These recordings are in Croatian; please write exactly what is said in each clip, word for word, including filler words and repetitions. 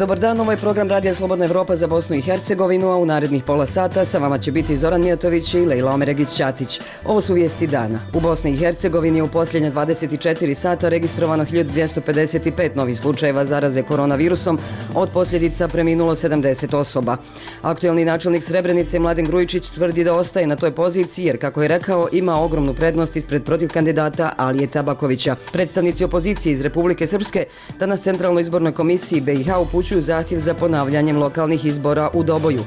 Dobar dan, ovo je program Radija Slobodna Evropa za Bosnu i Hercegovinu, a u narednih pola sata sa vama će biti Zoran Mijatović i Lejla Omeregić-Ćatić. Ovo su vijesti dana. U Bosni i Hercegovini je u posljednje dvadeset četiri sata registrovano hiljadu dvjesto pedeset pet novih slučajeva zaraze koronavirusom, od posljedica preminulo sedamdeset osoba. Aktuelni načelnik Srebrenice Mladen Grujičić tvrdi da ostaje na toj poziciji jer, kako je rekao, ima ogromnu prednost ispred protiv kandidata Alije Tabakovića. Predstavnici opozicije iz Republike Srpske danas Centralnoj izbornoj komisiji B i H upućuju zahtjev za ponavljanjem lokalnih izbora u Doboju.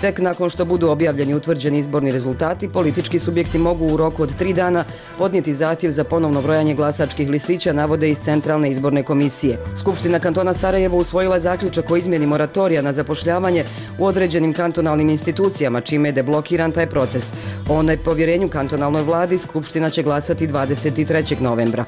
Tek nakon što budu objavljeni utvrđeni izborni rezultati, politički subjekti mogu u roku od tri dana podnijeti zahtjev za ponovno brojanje glasačkih listića, navode iz Centralne izborne komisije. Skupština kantona Sarajevo usvojila zaključak o izmjeni moratorija na zapošljavanje u određenim kantonalnim institucijama, čime je deblokiran taj proces. O nepovjerenju kantonalnoj vladi Skupština će glasati dvadeset trećeg novembra.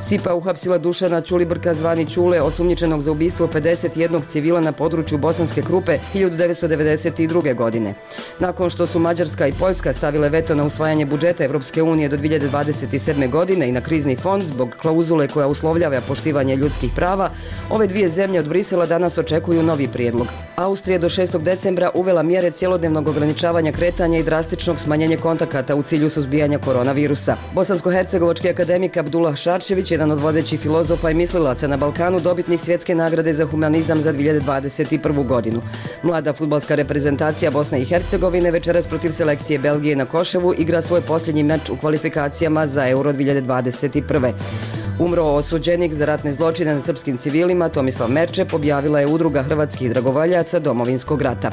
SIPA uhapsila Dušana Ćulibrka zvani Ćule, osumnjičenog za ubistvo pedeset jednog civila na području Bosanske Krupe hiljadu devetsto devedeset druge. godine. Nakon što su Mađarska i Poljska stavile veto na usvajanje budžeta Evropske unije do dvije hiljade dvadeset sedme. godine i na krizni fond zbog klauzule koja uslovljava poštivanje ljudskih prava, ove dvije zemlje od Brisela danas očekuju novi prijedlog. Austrija do šestog decembra uvela mjere cjelodnevnog ograničavanja kretanja i drastičnog smanjenja kontakata u cilju suzbijanja koronavirusa. Bosansko-hercegovački akademik Abdullah Šarčević, jedan od vodećih filozofa i mislilaca na Balkanu, dobitnik svjetske nagrade za humanizam za dvije hiljade dvadeset prvu. godinu. Mlada fudbalska reprezentacija Bosne i Hercegovine večeras protiv selekcije Belgije na Koševu igra svoj posljednji meč u kvalifikacijama za Euro dvije hiljade dvadeset prve. Umro osuđenik za ratne zločine nad srpskim civilima Tomislav Merčep, objavila je udruga hrvatskih dragovoljaca Domovinskog rata.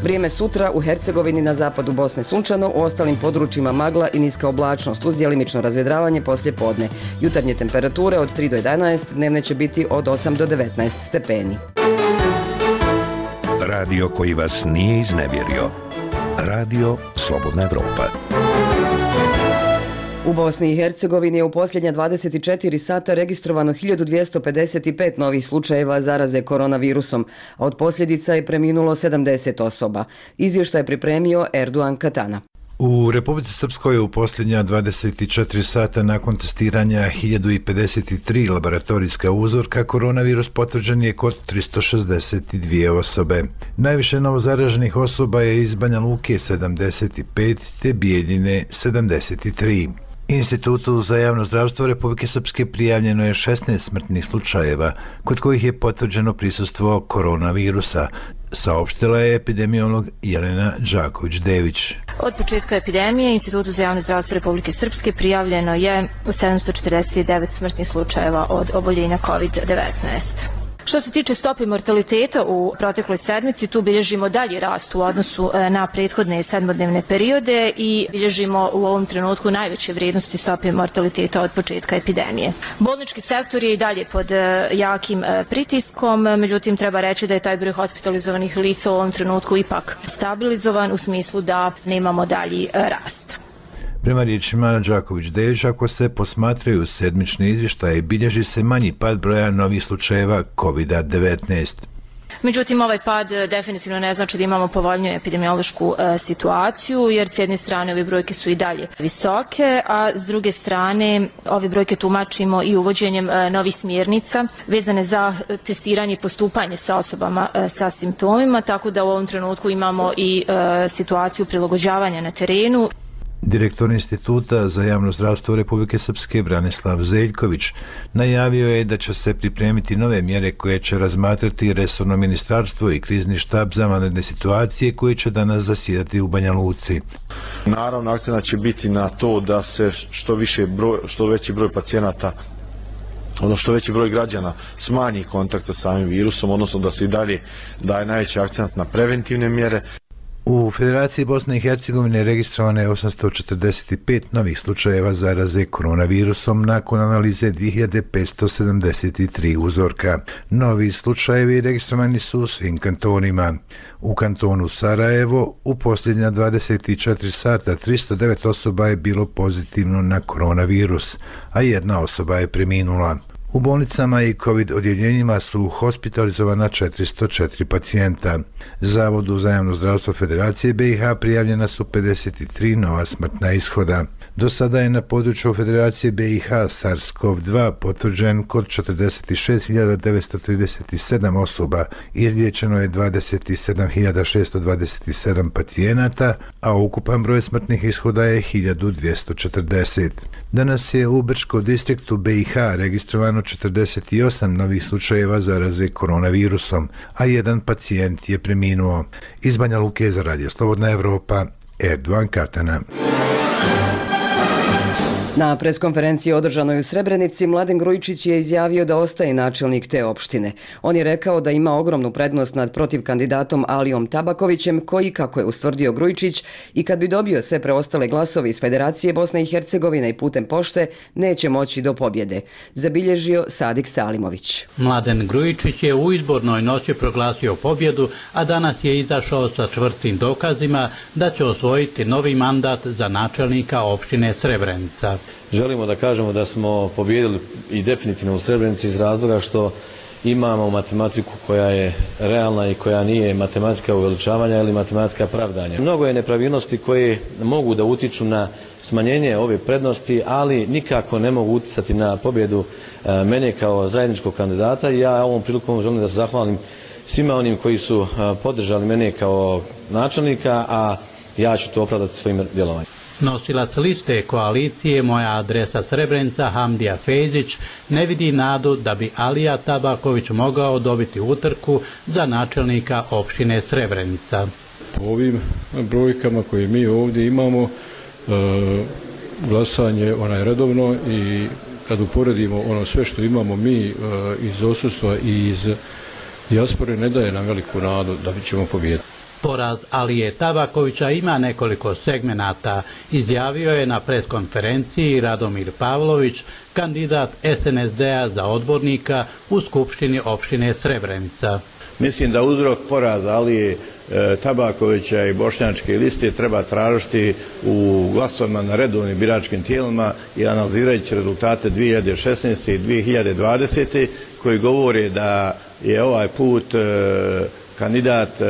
Vrijeme sutra u Hercegovini, na zapadu Bosne sunčano, u ostalim područjima magla i niska oblačnost uz djelimično razvedravanje poslije podne. Jutarnje temperature od tri do jedanaest, dnevne će biti od osam do devetnaest stepeni. Radio koji vas nije iznevjerio. Radio Slobodna Evropa. U Bosni i Hercegovini je u posljednja dvadeset četiri sata registrovano hiljadu dvjesto pedeset pet novih slučajeva zaraze koronavirusom, a od posljedica je preminulo sedamdeset osoba. Izvještaj je pripremio Erduan Katana. U Republici Srpskoj u posljednja dvadeset četiri sata nakon testiranja hiljadu pedeset tri laboratorijska uzorka, koronavirus potvrđen je kod tristo šezdeset dvije osobe. Najviše novozaraženih osoba je iz Banja Luke sedamdeset pet te Bijeljine sedamdeset tri. Institutu za javno zdravstvo Republike Srpske prijavljeno je šesnaest smrtnih slučajeva, kod kojih je potvrđeno prisustvo koronavirusa, saopštila je epidemiolog Jelena Đaković-Dević. Od početka epidemije Institutu za javno zdravstvo Republike Srpske prijavljeno je sedamsto četrdeset devet smrtnih slučajeva od oboljenja kovid devetnaest. Što se tiče stope mortaliteta u protekloj sedmici, tu bilježimo dalji rast u odnosu na prethodne sedmodnevne periode i bilježimo u ovom trenutku najveće vrijednosti stope mortaliteta od početka epidemije. Bolnički sektor je i dalje pod jakim pritiskom, međutim treba reći da je taj broj hospitalizovanih lica u ovom trenutku ipak stabilizovan u smislu da nemamo dalji rast. Prema riječima Đaković-Dević, ako se posmatraju sedmične izvještaje, bilježi se manji pad broja novih slučajeva kovid devetnaest. Međutim, ovaj pad definitivno ne znači da imamo povoljniju epidemiološku e, situaciju, jer s jedne strane ove brojke su i dalje visoke, a s druge strane ove brojke tumačimo i uvođenjem e, novih smjernica vezane za testiranje i postupanje sa osobama e, sa simptomima, tako da u ovom trenutku imamo i e, situaciju prilagođavanja na terenu. Direktor Instituta za javno zdravstvo Republike Srpske Branislav Zeljković najavio je da će se pripremiti nove mjere koje će razmatrati resorno ministarstvo i krizni štab za vanredne situacije koje će danas zasjedati u Banja Luci. Naravno, akcenat će biti na to da se što više broj, što veći broj pacijenata, ono što veći broj građana smanji kontakt sa samim virusom, odnosno da se i dalje daje najveći akcent na preventivne mjere. U Federaciji Bosne i Hercegovine registrovano je osamsto četrdeset pet novih slučajeva zaraze koronavirusom nakon analize dvije hiljade petsto sedamdeset tri uzorka. Novi slučajevi registrovani su u svim kantonima. U kantonu Sarajevo u posljednja dvadeset četiri sata tristo devet osoba je bilo pozitivno na koronavirus, a jedna osoba je preminula. U bolnicama i COVID odjeljenjima su hospitalizovana četiristo četiri pacijenta. Zavodu za javno zdravstvo Federacije B i H prijavljena su pedeset tri nova smrtna ishoda. Do sada je na području Federacije B i H SARS-CoV dva potvrđen kod četrdeset šest hiljada devetsto trideset sedam osoba, izliječeno je dvadeset sedam hiljada šesto dvadeset sedam pacijenata, a ukupan broj smrtnih ishoda je hiljadu dvjesto četrdeset. Danas je u Brčkom distriktu B i H registrovano četrdeset osam novih slučajeva zaraze koronavirusom, a jedan pacijent je preminuo. Iz Banja Luke za Radio Slobodna Evropa, Erdovan Katana. Na preskonferenciji održanoj u Srebrenici Mladen Grujičić je izjavio da ostaje načelnik te opštine. On je rekao da ima ogromnu prednost nad protiv kandidatom Alijom Tabakovićem, koji, kako je ustvrdio Grujičić, i kad bi dobio sve preostale glasove iz Federacije Bosne i Hercegovine i putem pošte, neće moći do pobjede, zabilježio Sadik Salimović. Mladen Grujičić je u izbornoj noći proglasio pobjedu, a danas je izašao sa čvrstim dokazima da će osvojiti novi mandat za načelnika opštine Srebrenica. Želimo da kažemo da smo pobijedili i definitivno u Srebrenici iz razloga što imamo matematiku koja je realna i koja nije matematika uveličavanja ili matematika pravdanja. Mnogo je nepravilnosti koje mogu da utiču na smanjenje ove prednosti, ali nikako ne mogu uticati na pobjedu mene kao zajedničkog kandidata. I ja ovom prilikom želim da se zahvalim svima onim koji su podržali mene kao načelnika, a ja ću to opravdati svojim djelovanjem. Nosilac liste koalicije Moja adresa Srebrenica Hamdija Fejzić ne vidi nadu da bi Alija Tabaković mogao dobiti utrku za načelnika opštine Srebrenica. Po ovim brojkama koje mi ovdje imamo, e, glasanje onaj redovno, i kad uporedimo ono sve što imamo mi e, iz odsustva i iz dijaspore, ne daje nam veliku nadu da ćemo pobijediti. Poraz Alije Tabakovića ima nekoliko segmenata, izjavio je na preskonferenciji Radomir Pavlović, kandidat S N S D-a za odbornika u Skupštini opštine Srebrenica. Mislim da uzrok poraza Alije e, Tabakovića i bošnjačke liste treba tražiti u glasovima na redovnim biračkim tijelima i analizirajući rezultate dvije hiljade šesnaeste i dvije hiljade dvadesete koji govore da je ovaj put e, kandidat e,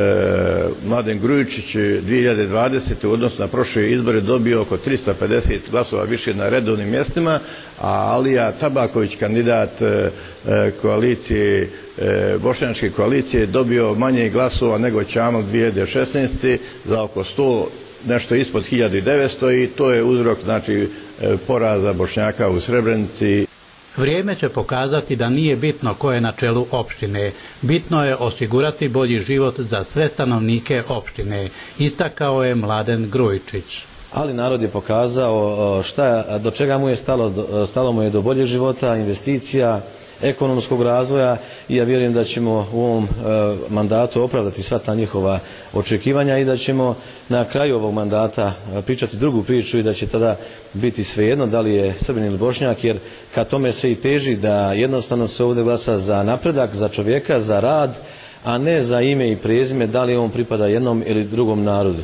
Mladen Grujičić dvije hiljade dvadesete u odnosu na prošle izbore dobio oko tristo pedeset glasova više na redovnim mjestima, a Alija Tabaković, kandidat e, koalicije, e, bošnjačke koalicije, dobio manje glasova nego Čamal dvije hiljade šesnaeste za oko sto, nešto ispod hiljadu devetsto, i to je uzrok, znači, poraza Bošnjaka u Srebrenici. Vrijeme će pokazati da nije bitno ko je na čelu opštine. Bitno je osigurati bolji život za sve stanovnike opštine, istakao je Mladen Grujičić. Ali narod je pokazao šta, do čega mu je stalo, stalo mu je do boljeg života, investicija, ekonomskog razvoja, i ja vjerujem da ćemo u ovom e, mandatu opravdati sva ta njihova očekivanja i da ćemo na kraju ovog mandata pričati drugu priču i da će tada biti svejedno da li je Srbin ili Bošnjak, jer ka tome se i teži da jednostavno se ovdje glasa za napredak, za čovjeka, za rad, a ne za ime i prezime, da li on pripada jednom ili drugom narodu.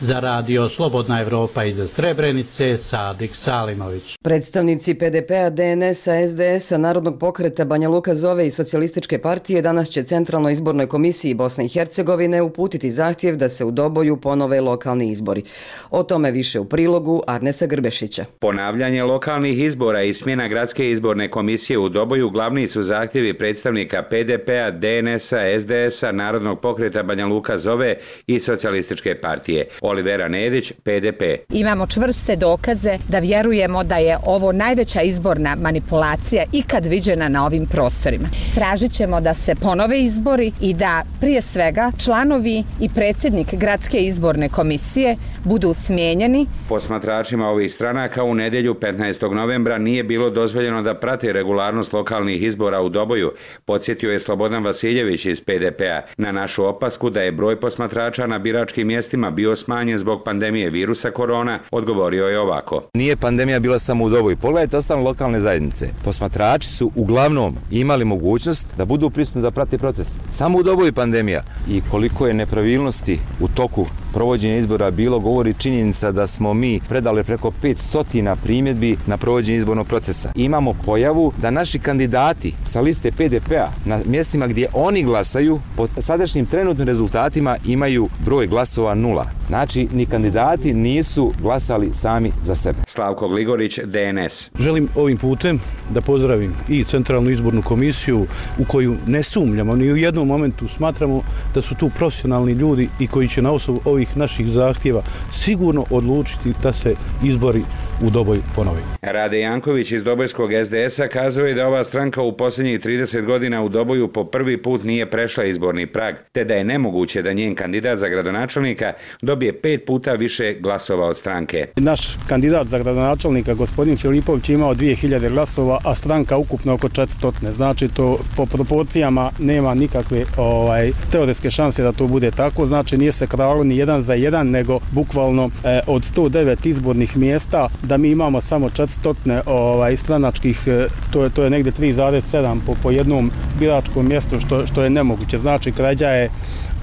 Za Radio Slobodna Evropa iz Srebrenice, Sadik Salimović. Predstavnici P D P-a, D N S-a, S D S-a, Narodnog pokreta Banja Luka Zove i Socijalističke partije danas će Centralnoj izbornoj komisiji Bosne i Hercegovine uputiti zahtjev da se u Doboju ponove lokalni izbori. O tome više u prilogu Arnesa Grbešića. Ponavljanje lokalnih izbora i smjena gradske izborne komisije u Doboju glavni su zahtjevi predstavnika P D P-a, D N S-a, S D S-a, Narodnog pokreta Banja Luka Zove i Socijalističke partije. Olivera Nedić, P D P. Imamo čvrste dokaze da vjerujemo da je ovo najveća izborna manipulacija ikad viđena na ovim prostorima. Tražit ćemo da se ponove izbori i da prije svega članovi i predsjednik gradske izborne komisije budu smijenjeni. Posmatračima ovih stranaka u nedjelju petnaestog novembra nije bilo dozvoljeno da prate regularnost lokalnih izbora u Doboju, podsjetio je Slobodan Vasiljević iz P D P-a na našu opasku da je broj posmatrača na biračkim mjestima bio smanjen smanjen zbog pandemije virusa korona, odgovorio je ovako. Nije pandemija bila samo u Doboju. Pogledajte ostale lokalne zajednice. Posmatrači su uglavnom imali mogućnost da budu prisutni da prate proces. Samo u Doboju pandemija. I koliko je nepravilnosti u toku provođenja izbora bilo, govori činjenica da smo mi predali preko petsto primjedbi na provođenje izbornog procesa. Imamo pojavu da naši kandidati sa liste P D P-a na mjestima gdje oni glasaju po sadašnjim trenutnim rezultatima imaju broj glasova nula. Znači, ni kandidati nisu glasali sami za sebe. Slavko Gligorić, D N S. Želim ovim putem da pozdravim i Centralnu izbornu komisiju u koju ne sumnjamo, ni u jednom momentu smatramo da su tu profesionalni ljudi i koji će na osnovu ovih naših zahtjeva sigurno odlučiti da se izbori u Doboju ponove. Rade Janković iz Dobojskog S D S-a kazao je da ova stranka u posljednjih trideset godina u Doboju po prvi put nije prešla izborni prag, te da je nemoguće da njen kandidat za gradonačelnika dobije pet puta više glasova od stranke. Naš kandidat za gradonačelnika, gospodin Filipović, imao dvije hiljade glasova, a stranka ukupno oko četiristo. Znači, to po proporcijama nema nikakve ovaj, teoretske šanse da to bude tako. Znači, nije se kralo ni jedan za jedan, nego bukvalno eh, od sto devet izbornih mjesta da mi imamo samo četiristo ovaj, stranačkih, to je, to je negdje tri zarez sedam po, po jednom biračkom mjestu, što, što je nemoguće. Znači, krađa je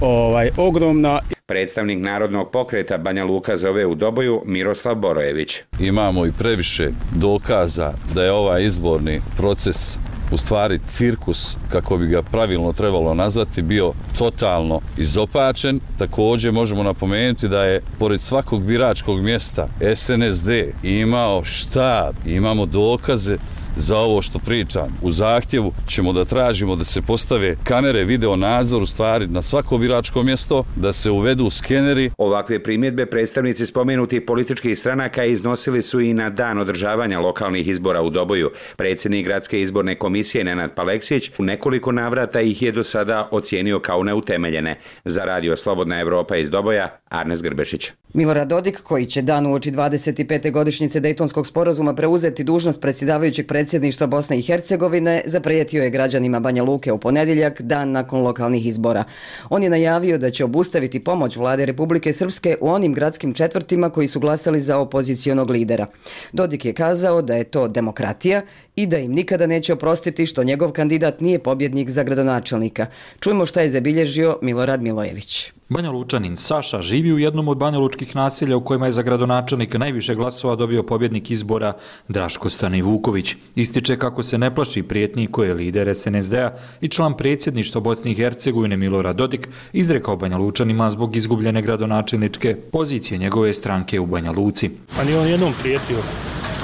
ovaj, ogromna. Predstavnik Narodnog pokreta Banja Luka zove u Doboju Miroslav Borojević. Imamo i previše dokaza da je ovaj izborni proces u stvari cirkus, kako bi ga pravilno trebalo nazvati, bio totalno izopačen. Također možemo napomenuti da je pored svakog biračkog mjesta S N S D imao štab, imamo dokaze za ovo što pričam. U zahtjevu ćemo da tražimo da se postave kamere video nadzor u stvari na svako biračko mjesto, da se uvedu skeneri. Ovakve primjedbe predstavnici spomenutih političkih stranaka iznosili su i na dan održavanja lokalnih izbora u Doboju. Predsjednik Gradske izborne komisije Nenad Paleksić u nekoliko navrata ih je do sada ocijenio kao neutemeljene. Za Radio Slobodna Evropa iz Doboja, Arnes Grbešić. Milorad Dodik, koji će dan uoči dvadeset pete godišnjice Dejtonskog sporazuma preuzeti dužnost predsjedavajućeg predsjedništva Bosne i Hercegovine, zaprijetio je građanima Banja Luke u ponedjeljak, dan nakon lokalnih izbora. On je najavio da će obustaviti pomoć vlade Republike Srpske u onim gradskim četvrtima koji su glasali za opozicionog lidera. Dodik je kazao da je to demokratija i da im nikada neće oprostiti što njegov kandidat nije pobjednik za gradonačelnika. Čujmo šta je zabilježio Milorad Milojević. Banja Lučanin Saša živi u jednom od banjalučkih naselja u kojima je za gradonačelnika najviše glasova dobio pobjednik izbora Draško Stani Vuković. Ističe kako se ne plaši prijetnji koje je lider S N S D-a i član predsjedništva Bosne i Hercegovine Milorad Dodik izrekao Banja Lučanima zbog izgubljene gradonačelničke pozicije njegove stranke u Banja Luci. Pa nije on jednom prijetio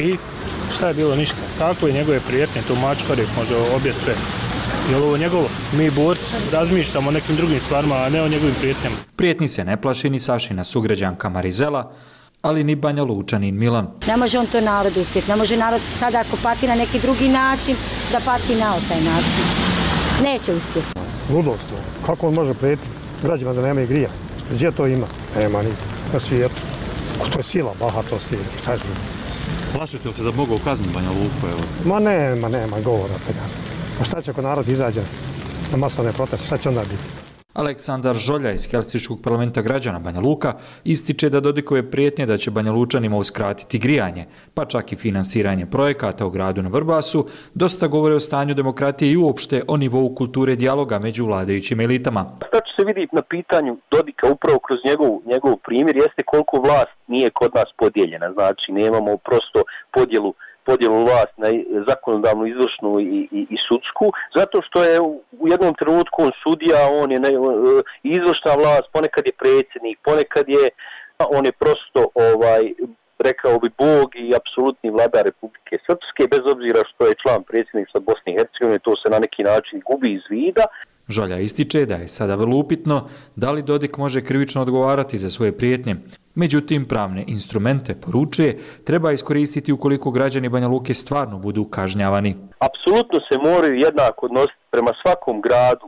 i šta je bilo, ništa. Tako je njegove prijetnje, to mačkari može obje sve. Je li ovo njegovo? Mi borci razmišljamo o nekim drugim stvarima, a ne o njegovim prijetnjama. Prijetnji se ne plaši ni Sašina sugrađanka Marizela, ali ni Banja Lučanin Milan. Ne može on to narod uspjeti, ne može narod sada ako pati na neki drugi način, da pati na taj način. Neće uspjeti. Ludost, kako on može prijetiti građima da nema grija? Gdje to ima? Nema ni na svijetu. To je sila, bahatost je, kažem. Plašite li se da mogu kazniti Banja Luku? Evo? Ma nema, nema govora toga. A šta će ako narod izađe na masovne proteste, šta će onda biti? Aleksandar Žolja iz Helsinškog parlamenta građana Banja Luka ističe da Dodikove prijetnje da će Banja Lučanima uskratiti grijanje, pa čak i finansiranje projekata u gradu na Vrbasu, dosta govore o stanju demokratije i uopšte o nivou kulture dijaloga među vladajućim elitama. Šta će se vidjeti na pitanju Dodika upravo kroz njegov, njegov primjer jeste koliko vlast nije kod nas podijeljena. Znači, nemamo prosto podjelu podjelu vlast na zakonodavnu, izvršnu i, i, i sudsku, zato što je u jednom trenutku on sudija, on je ne, izvršna vlast, ponekad je predsjednik, ponekad je, on je prosto, ovaj, rekao bi, Bog i apsolutni vladar Republike Srpske, bez obzira što je član predsjedništva Bosne i Hercegovine, to se na neki način gubi iz vida. Žolja ističe da je sada vrlo upitno da li Dodik može krivično odgovarati za svoje prijetnje. Međutim, pravne instrumente, poručuje, treba iskoristiti ukoliko građani Banja Luke stvarno budu kažnjavani. Apsolutno se moraju jednako odnositi prema svakom gradu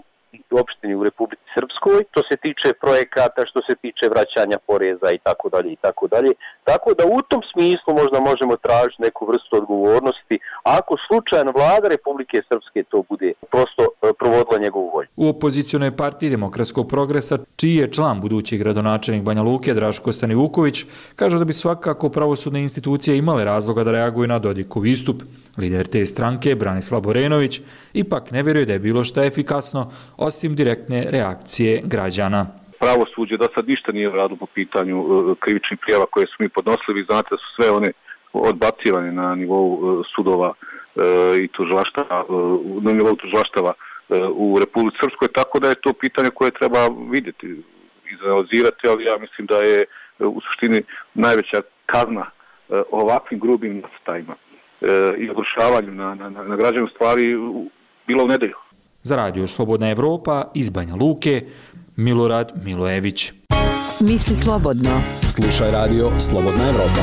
opštini u Republici Srpskoj, što se tiče projekata, što se tiče vraćanja poreza i tako dalje i tako dalje. Tako da u tom smislu možda možemo tražiti neku vrstu odgovornosti ako slučajno vlada Republike Srpske to bude prosto provodila njegovu volju. U opozicionoj partiji Demokratskog progresa, čiji je član budući gradonačelnik Banja Luke Draško Stanivuković, kažu da bi svakako pravosudne institucije imale razloga da reaguju na Dodikov istup. Lider te stranke, Branislav Borenović, ipak ne vjeruje da je bilo šta efikasno, osim direktne reakcije građana. Pravosuđe do sad ništa nije radilo po pitanju krivičnih prijava koje su mi podnosili. Vi znate da su sve one odbacivane na nivou sudova i tužilaštava, na nivou tužilaštava u Republici Srpskoj, tako da je to pitanje koje treba vidjeti, izanalizirati, ali ja mislim da je u suštini najveća kazna ovakvim grubim nastajima i ogrušavanju na, na, na građanu stvari bila u nedelju. Za radio Slobodna Evropa iz Banja Luke, Milorad Milojević. Misli slobodno. Slušaj radio Slobodna Evropa.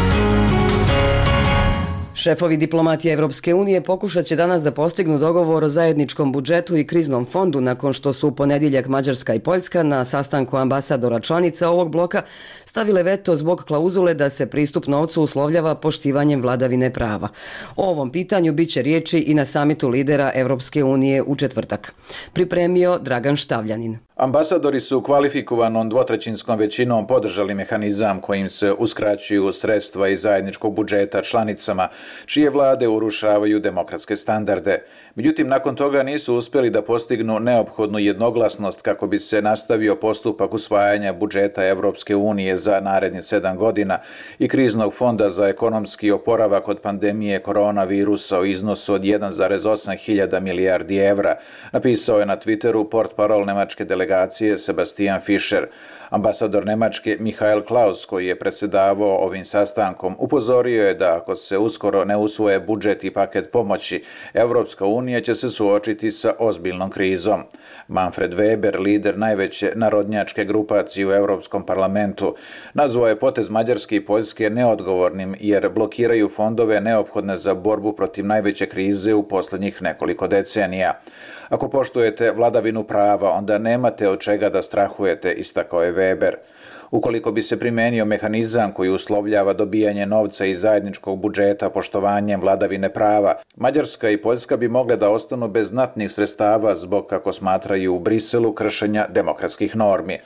Šefovi diplomatije Evropske unije pokušat će danas da postignu dogovor o zajedničkom budžetu i kriznom fondu nakon što su u ponedjeljak Mađarska i Poljska na sastanku ambasadora članica ovog bloka stavile veto zbog klauzule da se pristup novcu uslovljava poštivanjem vladavine prava. O ovom pitanju bit će riječi i na samitu lidera Evropske unije u četvrtak. Pripremio Dragan Štavljanin. Ambasadori su kvalifikovanom dvotrećinskom većinom podržali mehanizam kojim se uskraćuju sredstva iz zajedničkog budžeta članicama, čije vlade urušavaju demokratske standarde. Međutim, nakon toga nisu uspjeli da postignu neophodnu jednoglasnost kako bi se nastavio postupak usvajanja budžeta Evropske unije za narednih sedam godina i kriznog fonda za ekonomski oporavak od pandemije koronavirusa u iznosu od jedan zarez osam hiljada milijardi evra, napisao je na Twitteru portparol nemačke delegacije Sebastian Fischer. Ambasador Nemačke Michael Klaus, koji je predsjedavao ovim sastankom, upozorio je da ako se uskoro ne usvoje budžet i paket pomoći, Evropska unija će se suočiti sa ozbiljnom krizom. Manfred Weber, lider najveće narodnjačke grupacije u Europskom parlamentu, nazvao je potez Mađarske i Poljske neodgovornim jer blokiraju fondove neophodne za borbu protiv najveće krize u posljednjih nekoliko decenija. Ako poštujete vladavinu prava, onda nemate od čega da strahujete, istakao je Weber. Ukoliko bi se primenio mehanizam koji uslovljava dobijanje novca iz zajedničkog budžeta poštovanjem vladavine prava, Mađarska i Poljska bi mogle da ostanu bez znatnih sredstava zbog, kako smatraju u Briselu, kršenja demokratskih normi.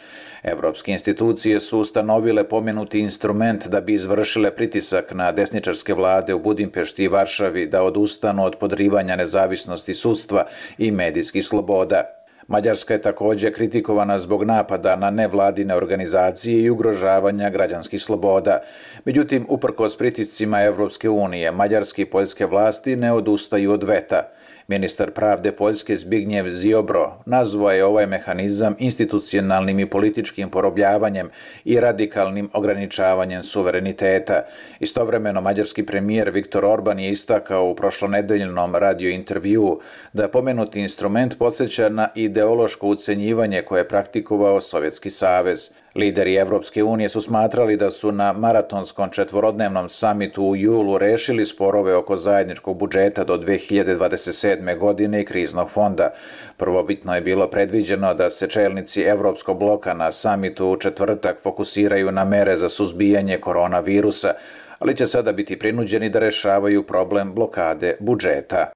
Evropske institucije su ustanovile pomenuti instrument da bi izvršile pritisak na desničarske vlade u Budimpešti i Varšavi da odustanu od podrivanja nezavisnosti sudstva i medijskih sloboda. Mađarska je također kritikovana zbog napada na nevladine organizacije i ugrožavanja građanskih sloboda. Međutim, uprkos pritiscima Evropske unije, mađarske i poljske vlasti ne odustaju od veta. Ministar pravde Poljske Zbigniew Ziobro nazvao je ovaj mehanizam institucionalnim i političkim porobljavanjem i radikalnim ograničavanjem suvereniteta. Istovremeno, mađarski premijer Viktor Orban je istakao u prošlonedeljnom radio intervjuu da pomenuti instrument podsjeća na ideološko ucenjivanje koje je praktikovao Sovjetski savez. Lideri Evropske unije su smatrali da su na maratonskom četvorodnevnom samitu u julu rešili sporove oko zajedničkog budžeta do dve hiljade dvadeset sedme. godine i kriznog fonda. Prvobitno je bilo predviđeno da se čelnici Evropskog bloka na samitu u četvrtak fokusiraju na mere za suzbijanje koronavirusa, ali će sada biti prinuđeni da rešavaju problem blokade budžeta.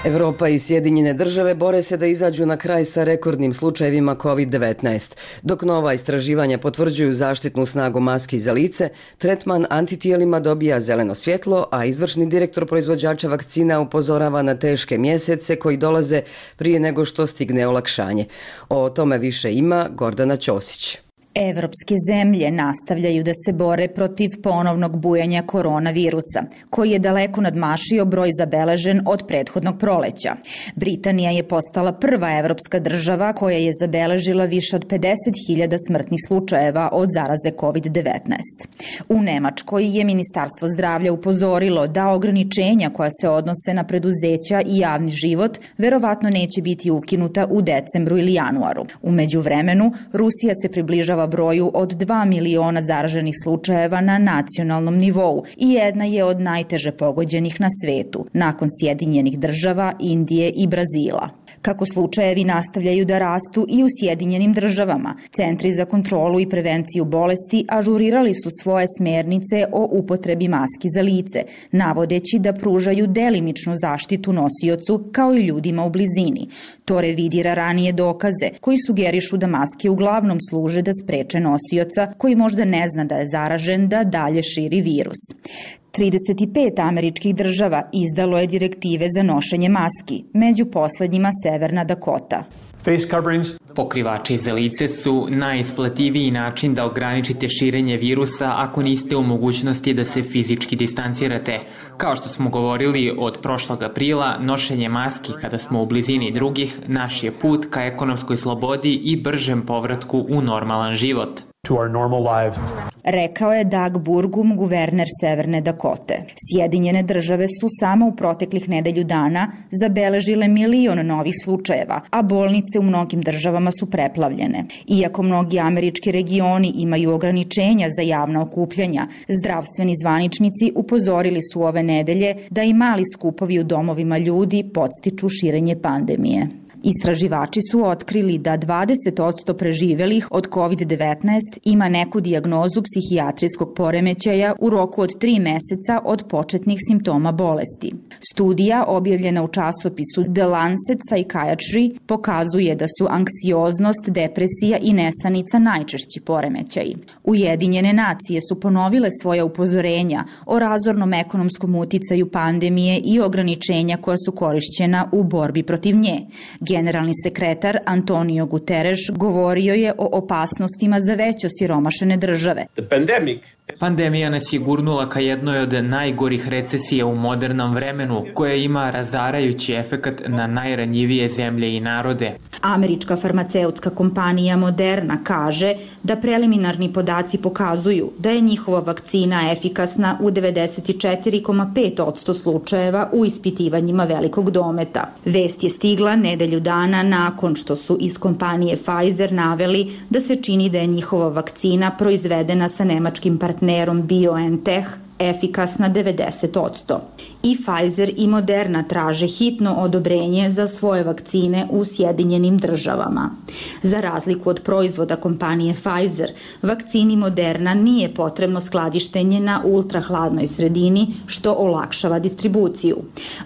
Evropa i Sjedinjene države bore se da izađu na kraj sa rekordnim slučajevima kovid devetnaest. Dok nova istraživanja potvrđuju zaštitnu snagu maski za lice, tretman antitijelima dobija zeleno svjetlo, a izvršni direktor proizvođača vakcina upozorava na teške mjesece koji dolaze prije nego što stigne olakšanje. O tome više ima Gordana Ćosić. Evropske zemlje nastavljaju da se bore protiv ponovnog bujanja koronavirusa, koji je daleko nadmašio broj zabeležen od prethodnog proleća. Britanija je postala prva evropska država koja je zabeležila više od pedeset hiljada smrtnih slučajeva od zaraze kovid devetnaest. U Nemačkoj je Ministarstvo zdravlja upozorilo da ograničenja koja se odnose na preduzeća i javni život verovatno neće biti ukinuta u decembru ili januaru. U međuvremenu, Rusija se približava približava broju od dva miliona zaraženih slučajeva na nacionalnom nivou i jedna je od najteže pogođenih na svetu, nakon Sjedinjenih država, Indije i Brazila. Kako slučajevi nastavljaju da rastu i u Sjedinjenim državama, Centri za kontrolu i prevenciju bolesti ažurirali su svoje smernice o upotrebi maski za lice, navodeći da pružaju delimičnu zaštitu nosiocu kao i ljudima u blizini. To revidira ranije dokaze koji sugerišu da maske uglavnom služe da spreče nosioca koji možda ne zna da je zaražen da dalje širi virus. trideset pet američkih država izdalo je direktive za nošenje maski, među poslednjima Severna Dakota. Pokrivači za lice su najisplativiji način da ograničite širenje virusa ako niste u mogućnosti da se fizički distancirate. Kao što smo govorili od prošlog aprila, nošenje maski kada smo u blizini drugih naš je put ka ekonomskoj slobodi i bržem povratku u normalan život. Rekao je Doug Burgum, guverner Severne Dakote. Sjedinjene države su samo u proteklih nedelju dana zabeležile milion novih slučajeva, a bolnice u mnogim državama su preplavljene. Iako mnogi američki regioni imaju ograničenja za javna okupljanja, zdravstveni zvaničnici upozorili su ove nedelje da i mali skupovi u domovima ljudi podstiču širenje pandemije. Istraživači su otkrili da dvadeset posto preživelih od kovid devetnaest ima neku dijagnozu psihijatrijskog poremećaja u roku od tri meseca od početnih simptoma bolesti. Studija objavljena u časopisu The Lancet Psychiatry pokazuje da su anksioznost, depresija i nesanica najčešći poremećaji. Ujedinjene nacije su ponovile svoja upozorenja o razornom ekonomskom uticaju pandemije i ograničenja koja su korišćena u borbi protiv nje. Generalni sekretar Antonio Guterres govorio je o opasnostima za već osiromašene države. Pandemija nas je gurnula ka jednoj od najgorih recesija u modernom vremenu, koja ima razarajući efekat na najranjivije zemlje i narode. Američka farmaceutska kompanija Moderna kaže da preliminarni podaci pokazuju da je njihova vakcina efikasna u devedeset četiri zarez pet posto slučajeva u ispitivanjima velikog dometa. Vest je stigla nedelju dana nakon što su iz kompanije Pfizer naveli da se čini da je njihova vakcina proizvedena sa nemačkim partnerom BioNTech efikasna devedeset posto. I Pfizer i Moderna traže hitno odobrenje za svoje vakcine u Sjedinjenim državama. Za razliku od proizvoda kompanije Pfizer, vakcini Moderna nije potrebno skladištenje na ultrahladnoj sredini, što olakšava distribuciju.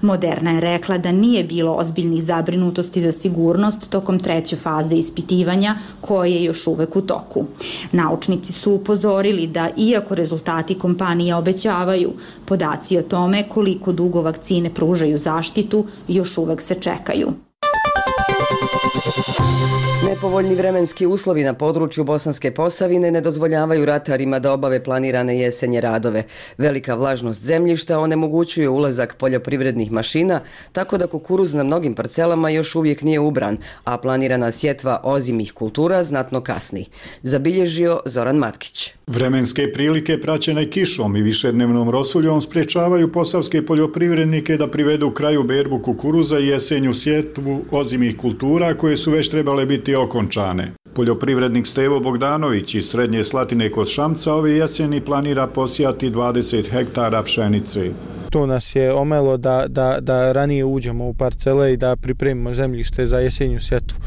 Moderna je rekla da nije bilo ozbiljnih zabrinutosti za sigurnost tokom treće faze ispitivanja, koje je još uvek u toku. Naučnici su upozorili da, iako rezultati kompanije obećavaju, podaci o tome koliko dugo vakcine pružaju zaštitu još uvek se čekaju. Nepovoljni vremenski uslovi na području Bosanske Posavine ne dozvoljavaju ratarima da obave planirane jesenje radove. Velika vlažnost zemljišta onemogućuje ulazak poljoprivrednih mašina, tako da kukuruz na mnogim parcelama još uvijek nije ubran, a planirana sjetva ozimih kultura znatno kasni. Zabilježio Zoran Matkić. Vremenske prilike praćene kišom i višednevnom rosuljom sprječavaju posavske poljoprivrednike da privedu kraju berbu kukuruza i jesenju sjetvu ozimih kultura koje su već trebale biti okončane. Poljoprivrednik Stevo Bogdanović iz Srednje Slatine kod Šamca ove jeseni planira posijati dvadeset hektara pšenice. To nas je omelo da, da, da ranije uđemo u parcele i da pripremimo zemljište za jesenju sjetvu.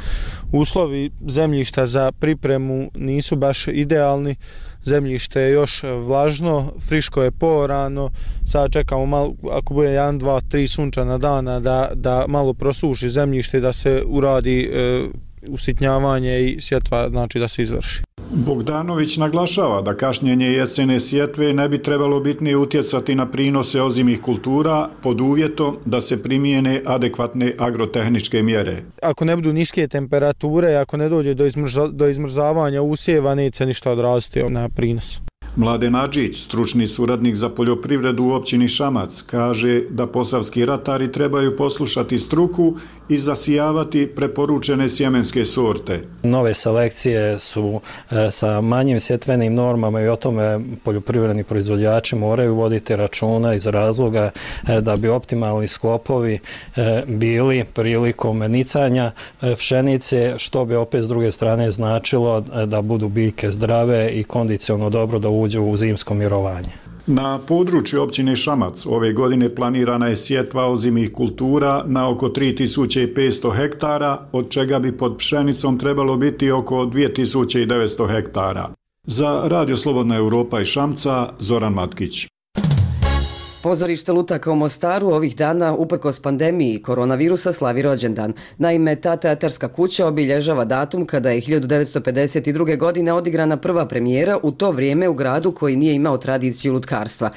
Uslovi zemljišta za pripremu nisu baš idealni. Zemljište je još vlažno, friško je poorano, sad čekamo malo, ako bude jedan, dva, tri sunčana dana da, da malo prosuši zemljište, da se uradi e, usitnjavanje i sjetva, znači da se izvrši. Bogdanović naglašava da kašnjenje jesene sjetve ne bi trebalo bitnije utjecati na prinose ozimih kultura pod uvjetom da se primijene adekvatne agrotehničke mjere. Ako ne budu niske temperature, ako ne dođe do, izmrza, do izmrzavanja usjeva, neće ništa odraziti na prinos. Mladen Adžić, stručni suradnik za poljoprivredu u općini Šamac, kaže da posavski ratari trebaju poslušati struku i zasijavati preporučene sjemenske sorte. Nove selekcije su e, sa manjim sjetvenim normama i o tome poljoprivredni proizvođači moraju voditi računa iz razloga e, da bi optimalni sklopovi e, bili prilikom nicanja e, pšenice, što bi opet s druge strane značilo e, da budu biljke zdrave i kondicionalno dobro da uđu u zimsko mirovanje. Na području općine Šamac ove godine planirana je sjetva ozimih kultura na oko tri tisuće petsto hektara, od čega bi pod pšenicom trebalo biti oko dvije tisuće devetsto hektara. Za Radio Slobodna Europa i Šamca, Zoran Matkić. Pozorište lutaka u Mostaru ovih dana, uprkos pandemiji koronavirusa, slavi rođendan. Naime, ta teatarska kuća obilježava datum kada je hiljadu devetsto pedeset druge. godine odigrana prva premijera, u to vrijeme u gradu koji nije imao tradiciju lutkarstva.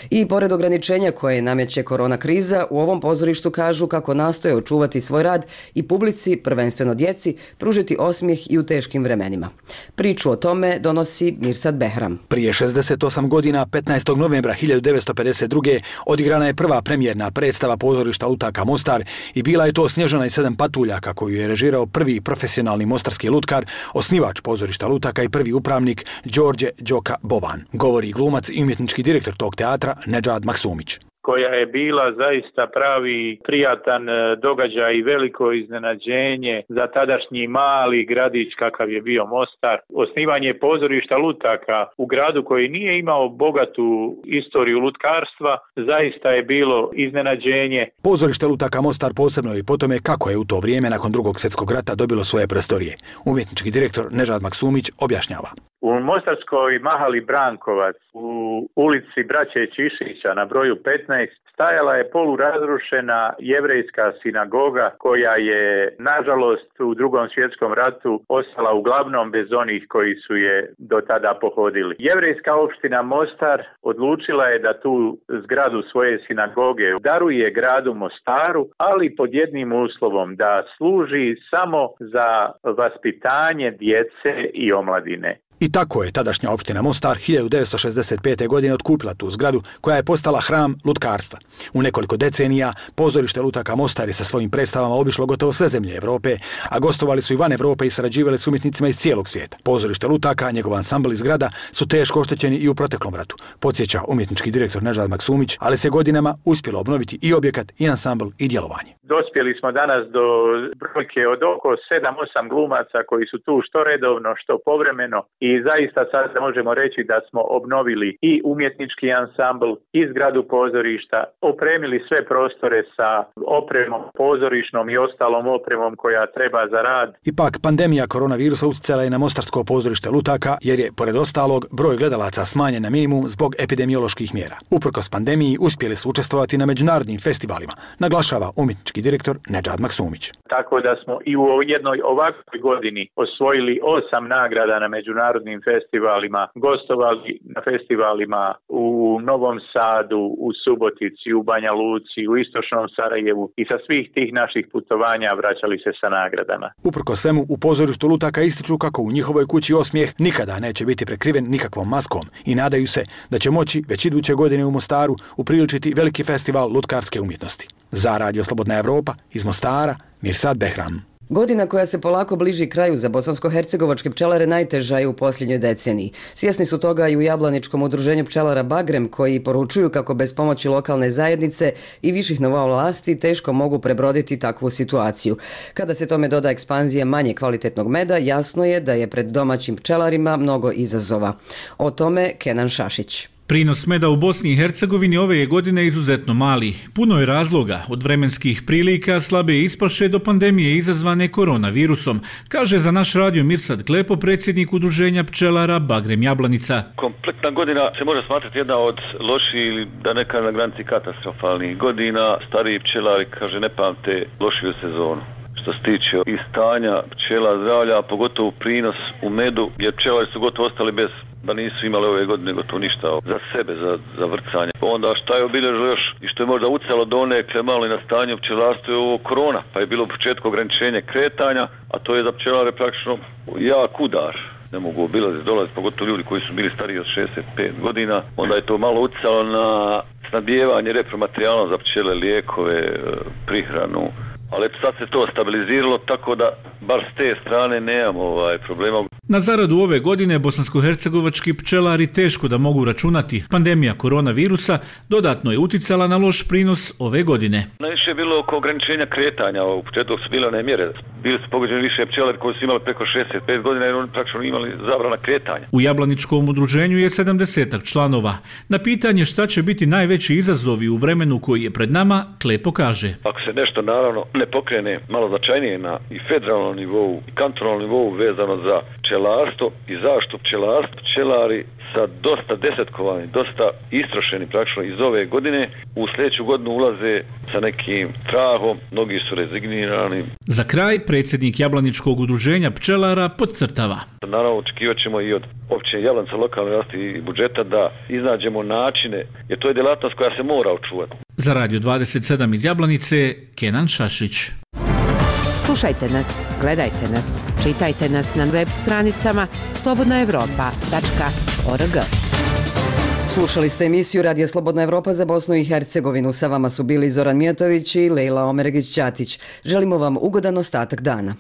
I pored ograničenja koje nameće korona kriza, u ovom pozorištu kažu kako nastoje očuvati svoj rad i publici, prvenstveno djeci, pružiti osmijeh i u teškim vremenima. Priču o tome donosi Mirsad Behram. Prije šezdeset osam godina, petnaestog novembra hiljadu devetsto pedeset druge. odigrana je prva premijerna predstava pozorišta lutaka Mostar i bila je to Snježana i sedam patuljaka koju je režirao prvi profesionalni mostarski lutkar, osnivač pozorišta lutaka i prvi upravnik Đorđe Đoka Boban. Govori glumac i umjetnički direktor tog teatra Nedžad Maksumić. Koja je bila zaista pravi prijatan događaj i veliko iznenađenje za tadašnji mali gradić kakav je bio Mostar. Osnivanje pozorišta lutaka u gradu koji nije imao bogatu istoriju lutkarstva zaista je bilo iznenađenje. Pozorište lutaka Mostar posebno je po tome kako je u to vrijeme nakon drugog svjetskog rata dobilo svoje prostorije. Umjetnički direktor Nežad Maksumić objašnjava. U Mostarskoj mahali Brankovac, u ulici Braće Čišića na broju petnaest, stajala je polurazrušena jevrejska sinagoga koja je, nažalost, u drugom svjetskom ratu ostala uglavnom bez onih koji su je do tada pohodili. Jevrejska opština Mostar odlučila je da tu zgradu svoje sinagoge daruje gradu Mostaru, ali pod jednim uslovom, da služi samo za vaspitanje djece i omladine. I tako je tadašnja opština Mostar hiljadu devetsto šezdeset pete. godine otkupila tu zgradu koja je postala hram lutkarstva. U nekoliko decenija pozorište lutaka Mostar je sa svojim predstavama obišlo gotovo sve zemlje Evrope, a gostovali su i van Evrope i sarađivali s umjetnicima iz cijelog svijeta. Pozorište lutaka, njegov ansambl i zgrada su teško oštećeni i u proteklom ratu, podsjeća umjetnički direktor Nežad Maksumić, ali se godinama uspjelo obnoviti i objekat, i ansambl, i djelovanje. Dospjeli smo danas do brojke od oko sedam osam glumaca koji su tu što redovno, što povremeno i zaista sad možemo reći da smo obnovili i umjetnički ansambl i zgradu pozorišta, opremili sve prostore sa opremom pozorišnom i ostalom opremom koja treba za rad. Ipak pandemija koronavirusa utjecala je na mostarsko pozorište lutaka jer je, pored ostalog, broj gledalaca smanjen na minimum zbog epidemioloških mjera. Uprkos pandemiji uspjeli su učestvovati na međunarodnim festivalima, naglašava umjetnički direktor Nedžad Maksumić. Tako da smo i u jednoj ovakvoj godini osvojili osam nagrada na međunarodnim festivalima, gostovali na festivalima u Novom Sadu, u Subotici, u Banja Luci, u Istočnom Sarajevu i sa svih tih naših putovanja vraćali se sa nagradama. Uprkos svemu, u pozorištu lutaka ističu kako u njihovoj kući osmijeh nikada neće biti prekriven nikakvom maskom i nadaju se da će moći već iduće godine u Mostaru upriličiti veliki festival lutkarske umjetnosti. Za Radio Slobodna Evropa iz Mostara, Mirsad Behram. Godina koja se polako bliži kraju za bosansko-hercegovačke pčelare najteža je u posljednjoj deceniji. Svjesni su toga i u Jablaničkom udruženju pčelara Bagrem, koji poručuju kako bez pomoći lokalne zajednice i viših nivoa vlasti teško mogu prebroditi takvu situaciju. Kada se tome doda ekspanzija manje kvalitetnog meda, jasno je da je pred domaćim pčelarima mnogo izazova. O tome Kenan Šašić. Prinos meda u Bosni i Hercegovini ove je godine izuzetno mali. Puno je razloga, od vremenskih prilika, slabe ispaše do pandemije izazvane koronavirusom, kaže za naš radio Mirsad Klepo, predsjednik udruženja pčelara Bagrem Jablanica. Kompletna godina se može smatrati jedna od loših ili da neka na granici katastrofalnih godina. Stariji pčelari, kaže, ne pamte lošiju sezonu. Što se tiče i stanja pčela zdravlja, pogotovo prinos u medu, jer pčelari su gotovo ostali bez, da nisu imali ove godine gotovo ništa za sebe, za, za vrcanje. Onda šta je obilježilo još i što je možda ucalo do onekle malo i na stanju pčelarstva je ovo korona, pa je bilo u početku ograničenje kretanja, a to je za pčelare praktično jak udar. ne mogu obilaziti, dolaziti, pogotovo ljudi koji su bili stariji od šezdeset pet godina. Onda je to malo utjecalo na snabdijevanje repromaterijalom za pčele, lijekove, prihranu. Ali sad se to stabiliziralo, tako da bar s te strane nemamo ovaj problema. Na zaradu ove godine bosansko-hercegovački pčelari teško da mogu računati. Pandemija koronavirusa dodatno je uticala na loš prinos ove godine. Najviše je bilo oko ograničenja kretanja, u početku su bile one mjere. Bili su pogođeni više pčelari koji su imali preko šezdeset pet godina jer oni praktično imali zabrana kretanja. U Jablaničkom udruženju je sedamdesetak članova. Na pitanje šta će biti najveći izazovi u vremenu koji je pred nama, Klepo kaže. Ako se nešto naravno ne pokrene malo značajnije na i federalnom nivou i kantonalnom nivou vezano za pčelarstvo i zaštitu pčelarstva, pčelari sa dosta desetkovani, dosta istrošeni praktično iz ove godine, u sljedeću godinu ulaze sa nekim trahom, mnogi su rezignirani. Za kraj, predsjednik Jablaničkog udruženja pčelara podcrtava. Naravno, očekivat ćemo i od općine Jablanica, lokalne vlasti i budžeta da iznađemo načine, jer to je djelatnost koja se mora očuvati. Za Radio dvadeset sedam iz Jablanice, Kenan Šašić. Slušajte nas, gledajte nas, čitajte nas na web stranicama slobodna evropa tačka org. Slušali ste emisiju Radija Slobodna Evropa za Bosnu i Hercegovinu. Sa vama su bili Zoran Mijatović i Lejla Omeregić-Ćatić. Želimo vam ugodan ostatak dana.